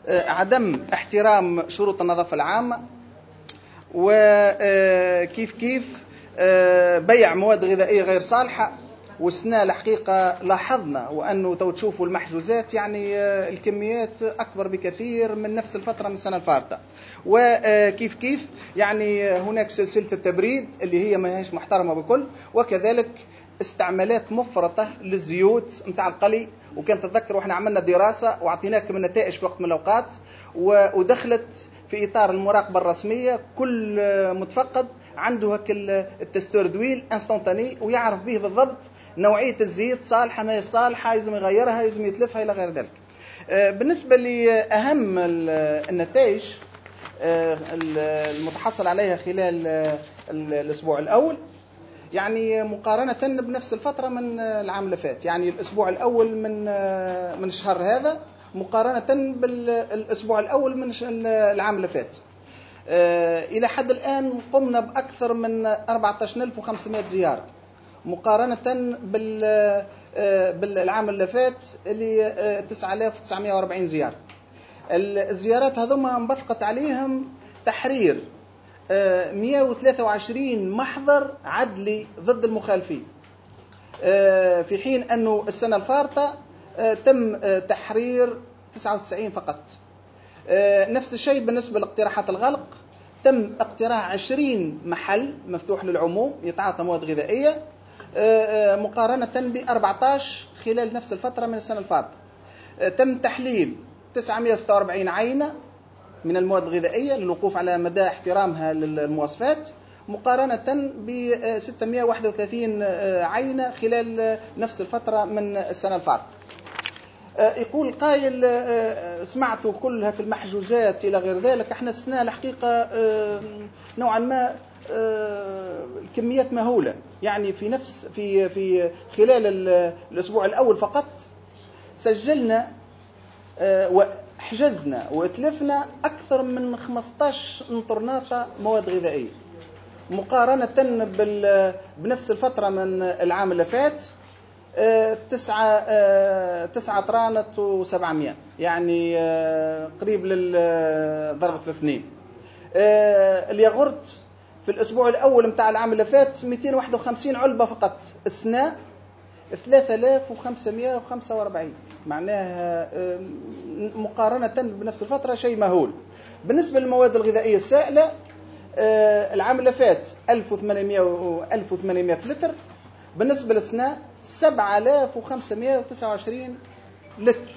عدم احترام شروط النظافة العامة، وكيف كيف بيع مواد غذائية غير صالحة. والسنة الحقيقة لاحظنا وأنه تو تشوفوا المحجوزات يعني الكميات أكبر بكثير من نفس الفترة من السنة الفارطة. وكيف كيف يعني هناك سلسلة التبريد اللي هي ما هيش محترمة بكل، وكذلك استعمالات مفرطة للزيوت نتاع القلي. وكان تتذكر واحنا عملنا دراسة واعطيناكم النتائج في وقت من الأوقات، ودخلت في إطار المراقبة الرسمية، كل متفقد عنده هك ال testeur d'huile instantané ويعرف به بالضبط نوعية الزيت صالحة ما هي صالحة، لازم يغيرها، لازم يتلفها إلى غير ذلك. بالنسبة لأهم النتائج المتحصل عليها خلال الأسبوع الأول، يعني مقارنة بنفس الفترة من العام اللي فات، يعني الأسبوع الأول من الشهر هذا مقارنة بالأسبوع الأول من العام اللي فات، إلى حد الآن قمنا بأكثر من 14500 زيارة مقارنة بالعام اللي فات اللي 9940 زيارة. الزيارات هذوما انبثقت عليهم تحرير 123 محضر عدلي ضد المخالفين، في حين أنه السنة الفارطة تم تحرير 99 فقط. نفس الشيء بالنسبة لاقتراحات الغلق، تم اقتراح 20 محل مفتوح للعموم يتعاطى مواد غذائية، مقارنة ب 14 خلال نفس الفترة من السنة الفارطة. تم تحليل 946 عينة من المواد الغذائية للوقوف على مدى احترامها للمواصفات، مقارنة ب 631 عينة خلال نفس الفترة من السنة الفارطة. يقول قائل سمعتوا كل هاك المحجوزات إلى غير ذلك، احنا السنة الحقيقة نوعا ما الكميات مهولة، يعني في نفس في في خلال الأسبوع الأول فقط سجلنا وحجزنا واتلفنا أكثر من 15 طرناطة مواد غذائية مقارنة بنفس الفترة من العام اللي فات، 9 طرانة و700، يعني قريب للضربة الاثنين. الياغورت في الأسبوع الأول متاع العام اللي فات 251 علبة فقط، السنة 3545، معناها مقارنة بنفس الفترة شيء مهول. بالنسبة للمواد الغذائية السائلة، العام اللي فات 1800 لتر، بالنسبة للسنة 7529 لتر.